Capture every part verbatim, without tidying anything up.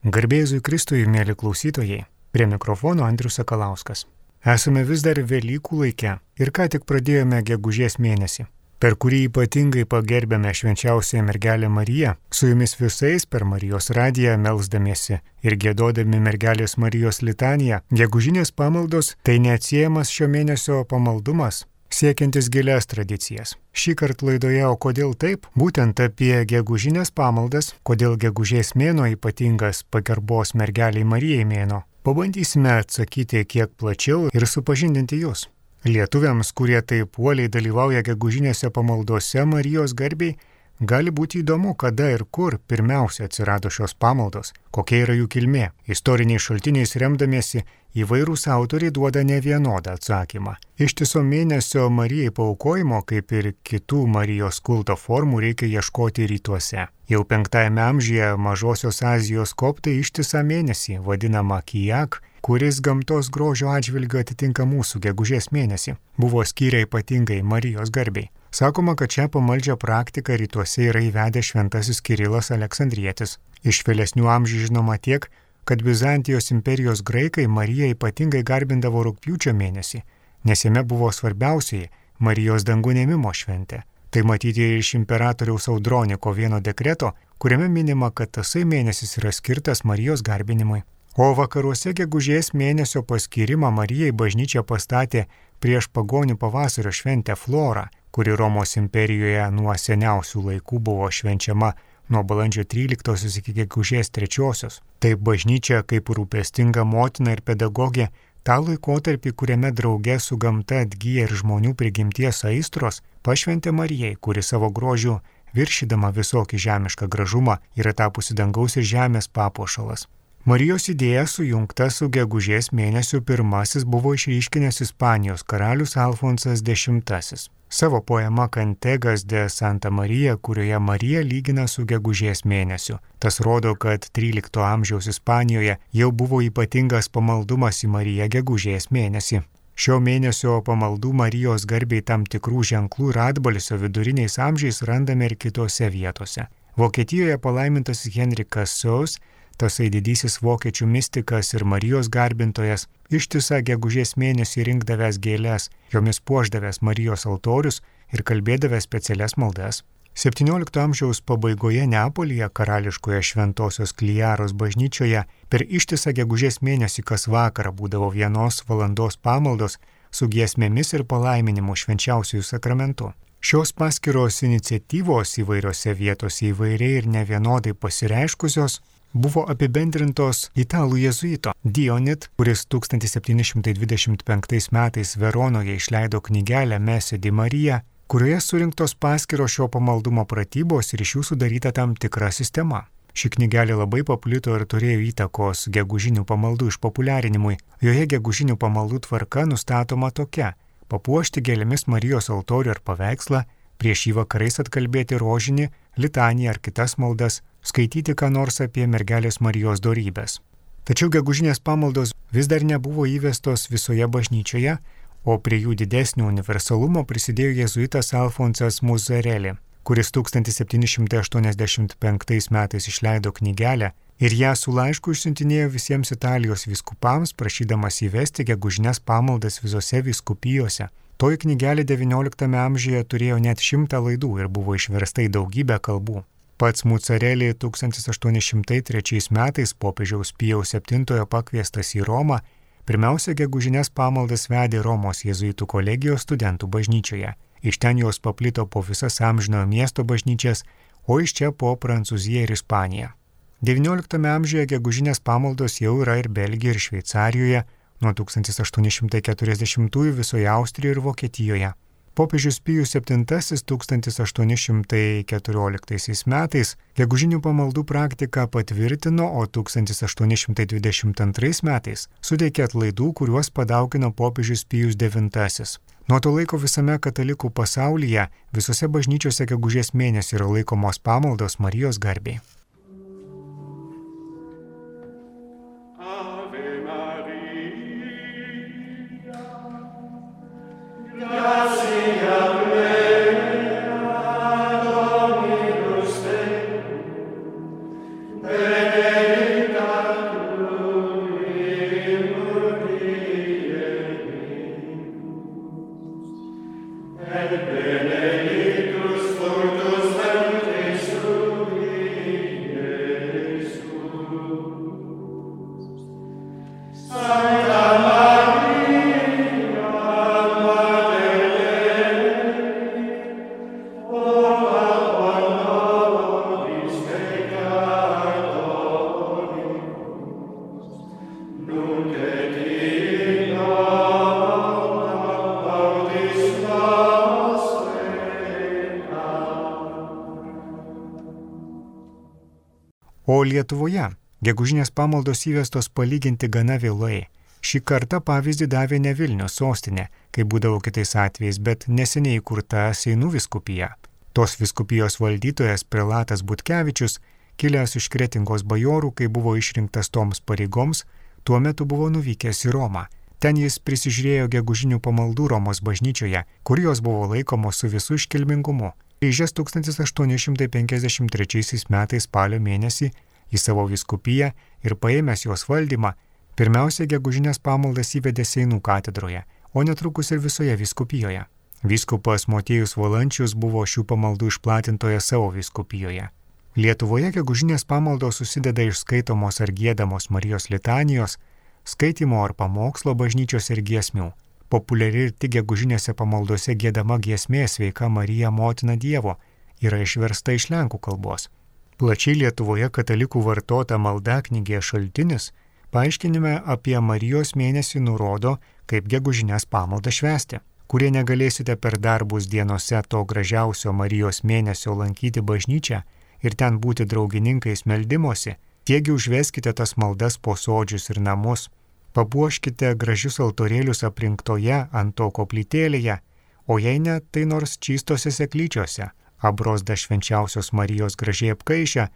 Garbėzui Kristui, mėly klausytojai, prie mikrofono Andrius Sakalauskas. Esame vis dar Velykų laike ir ką tik pradėjome gegužės mėnesį, per kurį ypatingai pagerbėme švenčiausiąją mergelę Mariją, su jumis visais per Marijos radiją melsdamiesi ir giedodami mergelės Marijos litaniją. Gegužinės pamaldos tai neatsiejamas šio mėnesio pamaldumas, siekiantis gilias tradicijas. Šį kartą laidoje O kodėl taip? Būtent apie gegužinės pamaldas, kodėl gegužės mėnuo ypatingas pagarbos mergeliai Marijai mėnuo. Pabandysime atsakyti kiek plačiau ir supažindinti jūs. Lietuviams, kurie taip uoliai dalyvauja gegužinėse pamaldose Marijos garbei, gali būti įdomu, kada ir kur pirmiausia atsirado šios pamaldos, kokia yra jų kilmė. Istoriniais šaltiniais remdamiesi, įvairūs autoriai duoda nevienodą atsakymą. Ištiso mėnesio Marijai paaukojimo, kaip ir kitų Marijos kulto formų, reikia ieškoti rytuose. Jau penktajame amžiuje Mažosios Azijos koptai ištisą mėnesį, vadinamą kijak, kuris gamtos grožio atžvilgiu atitinka mūsų gegužės mėnesį, buvo skyrę ypatingai Marijos garbei. Sakoma, kad šią pamaldžią praktiką rytuose yra įvedęs šventasis Kirilas Aleksandrietis. Iš vėlesnių amžių žinoma tiek, kad Bizantijos imperijos graikai Mariją ypatingai garbindavo rugpjūčio mėnesį, nes jame buvo svarbiausiai Marijos dangun ėmimo šventė. Tai matyti iš imperatoriaus Audroniko vieno dekreto, kuriame minima, kad tasai mėnesis yra skirtas Marijos garbinimui. O vakaruose gegužės mėnesio paskyrimą Marijai bažnyčia pastatė prieš pagonių pavasario šventę Florą, kuri Romos imperijoje nuo seniausių laikų buvo švenčiama nuo balandžio tryliktosios iki gegužės trečiosios. Taip bažnyčia kaip rūpestinga motina ir pedagogė tą laikotarpį, kuriame drauge su gamta atgyja ir žmonių prigimties aistros, pašventė Marijai, kuri savo grožiu viršydama visokį žemišką gražumą yra tapusi dangaus ir žemės papuošalas. Marijos idėja sujungta su gegužės mėnesiu pirmasis buvo išryškinęs Ispanijos karalius Alfonsas X. Savo poema Cantegas de Santa Maria, kurioje Marija lygina su gegužės mėnesiu. Tas rodo, kad trylikto amžiaus Ispanijoje jau buvo ypatingas pamaldumas į Mariją gegužės mėnesį. Šio mėnesio pamaldų Marijos garbei tam tikrų ženklų ir atbalsio viduriniais amžiais randame ir kitose vietose. Vokietijoje palaimintasis Henrikas Saus, tasai didysis vokiečių mistikas ir Marijos garbintojas, ištisą gegužės mėnesį rinkdavęs gėles, jomis puošdavęs Marijos altorius ir kalbėdavęs specialias maldas. septyniolikto amžiaus pabaigoje Neapolyje karališkoje Šventosios Kliaros bažnyčioje per ištisą gegužės mėnesį kas vakarą būdavo vienos valandos pamaldos su giesmėmis ir palaiminimu švenčiausiųjų sakramentu. Šios paskiros iniciatyvos įvairiose vietose įvairiai ir nevienodai pasireiškusios buvo apibendrintos italų jėzuito Dionit, kuris tūkstantis septyni šimtai dvidešimt penktais metais Veronoje išleido knygelę Messe di Marija, kurioje surinktos paskiros šio pamaldumo pratybos ir iš jų sudaryta tam tikra sistema. Ši knygelė labai paplito ir turėjo įtakos gegužinių pamaldų išpopuliarinimui. Joje gegužinių pamaldų tvarka nustatoma tokia: papuošti gėlėmis Marijos altorių ar paveikslą, prieš jį vakarais atkalbėti rožinį, litaniją ar kitas maldas, skaityti ką nors apie mergelės Marijos dorybės. Tačiau gegužinės pamaldos vis dar nebuvo įvestos visoje bažnyčioje, o prie jų didesnio universalumo prisidėjo jėzuitas Alfonsas Muzzarelli, kuris tūkstantis septyni šimtai aštuoniasdešimt penktais metais išleido knygelę ir ją su laišku išsiuntinėjo visiems Italijos vyskupams, prašydamas įvesti gegužinės pamaldas visose vyskupijose. Toji knygelė devynioliktame amžiuje turėjo net šimtą laidų ir buvo išversta į daugybę kalbų. Pats Muzzarelli tūkstantis aštuoni šimtai trečiais metais popiežiaus Pijaus septintojo pakviestas į Romą, pirmiausia gegužinės pamaldas vedė Romos jėzuitų kolegijos studentų bažnyčioje. Iš ten jos paplito po visas amžinojo miesto bažnyčias, o iš čia po Prancūziją ir Ispaniją. devynioliktame amžiuje gegužinės pamaldos jau yra ir Belgijoje ir Šveicarijoje, nuo tūkstantis aštuoni šimtai keturiasdešimtųjų visoje Austrijoje ir Vokietijoje. Popiežius Pijus septintasis tūkstantis aštuoni šimtai keturioliktaisiais metais gegužinių pamaldų praktiką patvirtino, o tūkstantis aštuoni šimtai dvidešimt antrais metais suteikė atlaidų, kuriuos padaugino popiežius Pijus devintasis. Nuo to laiko visame katalikų pasaulyje visose bažnyčiose gegužės mėnesį yra laikomos pamaldos Marijos garbei. Benedicta Lietuvoje gegužinės pamaldos įvestos palyginti gana vėlai. Šį kartą pavyzdį davė ne Vilniaus sostinė, kaip būdavo kitais atvejais, bet neseniai įkurta Seinų vyskupija. Tos vyskupijos valdytojas prelatas Butkevičius, kilęs iš Kretingos bajorų, kai buvo išrinktas toms pareigoms, tuo metu buvo nuvykęs į Romą. Ten jis prisižiūrėjo gegužinių pamaldų Romos bažnyčioje, kur jos buvo laikomos su visu iškilmingumu. Grįžęs tūkstantis aštuoni šimtai penkiasdešimt trečiaisiais metais spalio mėnesį į savo vyskupiją ir paėmęs jos valdymą, pirmiausia gegužinės pamaldas įvedė Seinų katedroje, o netrukus ir visoje vyskupijoje. Vyskupas Motiejus Valančius buvo šių pamaldų išplatintoje savo vyskupijoje. Lietuvoje gegužinės pamaldos susideda iš skaitomos ar giedamos Marijos litanijos, skaitimo ar pamokslo bažnyčios ir giesmių. Populiari ir tik gegužinėse pamaldose giedama giesmė Sveika Marija Motina Dievo yra išversta iš lenkų kalbos. Plačiai Lietuvoje katalikų vartota maldaknygė Šaltinis paaiškinime apie Marijos mėnesį nurodo, kaip gegužinės pamaldą švęsti. Kurie negalėsite per darbus dienose to gražiausio Marijos mėnesio lankyti bažnyčią ir ten būti draugininkais meldimosi, tiegi užveskite tas maldas po sodžius ir namus, papuoškite gražius altorėlius aprinktoje ant to koplytėlėje, o jei ne, tai nors čystose seklyčiose, abrozda švenčiausios Marijos gražiai apkaišę,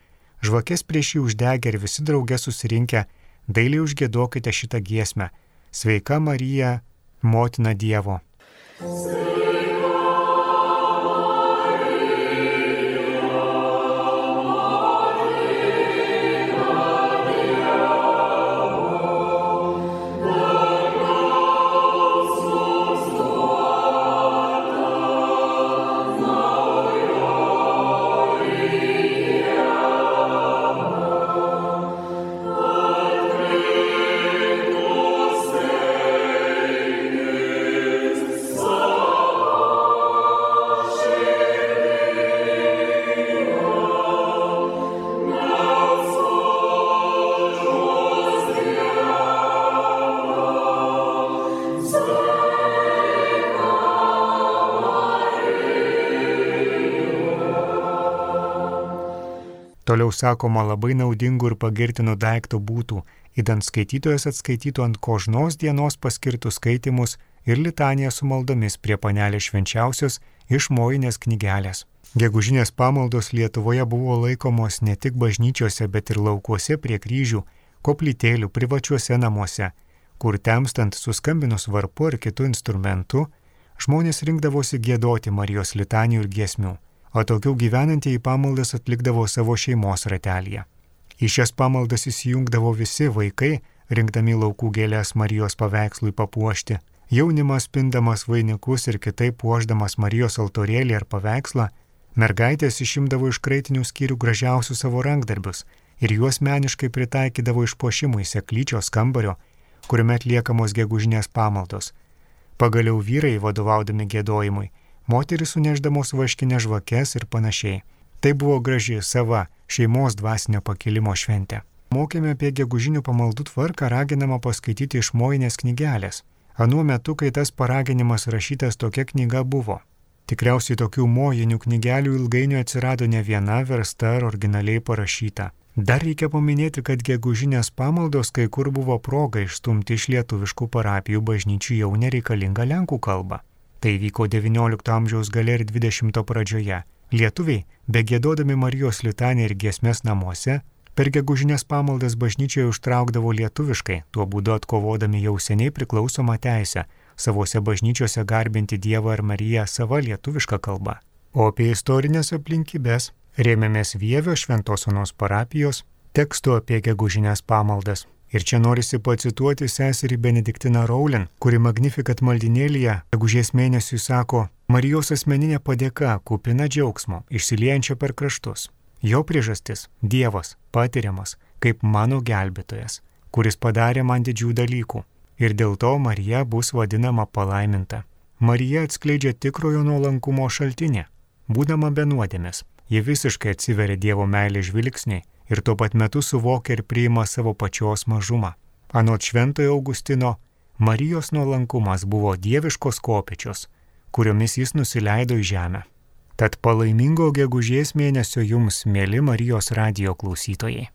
žvakės prieš jį uždegę ir visi drauge susirinkę, dailiai užgiedokite šitą giesmę. Sveika Marija, Motina Dievo. Toliau sakoma, labai naudingų ir pagirtinų daiktų būtų, idant skaitytojas atskaitytų ant kožnos dienos paskirtus skaitimus ir litaniją su maldomis prie panelės švenčiausios iš mojinės knygelės. Gegužinės pamaldos Lietuvoje buvo laikomos ne tik bažnyčiose, bet ir laukuose prie kryžių, koplytėlių, privačiuose namuose, kur temstant suskambinus varpu ar kitų instrumentų, žmonės rinkdavosi giedoti Marijos litanijų ir giesmių. O tokių gyvenantieji pamaldas atlikdavo savo šeimos ratelyje. Į šias pamaldas įsijungdavo visi vaikai, rinkdami laukų gėlės Marijos paveikslui papuošti, jaunimas pindamas vainikus ir kitaip puošdamas Marijos altorėlį ar paveikslą, mergaitės išimdavo iš kraitinių skyrių gražiausius savo rankdarbius ir juos meniškai pritaikydavo išpuošimui seklyčios kambario, kuriame atliekamos gegužinės pamaldos. Pagaliau vyrai, vadovaudami giedojimui, moteris suneždamos vaškinę žvakes ir panašiai. Tai buvo graži, sava, šeimos dvasinio pakilimo šventė. Mokėme apie gegužinių pamaldų tvarką raginama paskaityti iš mojinės knygelės. Anuo metu, kai tas paraginimas rašytas, tokia knyga buvo. Tikriausiai tokių mojinių knygelių ilgainiui atsirado ne viena versta ar originaliai parašyta. Dar reikia paminėti, kad gegužinės pamaldos kai kur buvo proga išstumti iš lietuviškų parapijų bažnyčių jau nereikalingą lenkų kalbą. Tai vyko devyniolikto amžiaus gale ir dvidešimto pradžioje. Lietuviai, begiedodami Marijos litaniją ir giesmes namuose, per gegužinės pamaldas bažnyčioje užtraukdavo lietuviškai, tuo būdu atkovodami jau seniai priklausomą teisę savose bažnyčiose garbinti Dievą ir Mariją sava lietuviška kalba. O apie istorinės aplinkybės rėmėmės Vievio Šventos Onos parapijos tekstu apie gegužinės pamaldas. Ir čia norisi pacituoti seserį Benediktiną Rowling, kuri Magnificat maldinėlyje gegužės mėnesiui sako: Marijos asmeninė padėka kupina džiaugsmo, išsiliejančio per kraštus. Jo priežastis – Dievas, patiriamas, kaip mano gelbėtojas, kuris padarė man didžių dalykų. Ir dėl to Marija bus vadinama palaiminta. Marija atskleidžia tikrojo nuolankumo šaltinį. Būdama be nuodėmės, ji visiškai atsiveria Dievo meilės žvilgsniai ir tuo pat metu suvokia ir priima savo pačios mažumą. Anot Šventojo Augustino, Marijos nuolankumas buvo dieviškos kopėčios, kuriomis jis nusileido į žemę. Tad palaimingo gegužės mėnesio jums, mieli Marijos radijo klausytojai.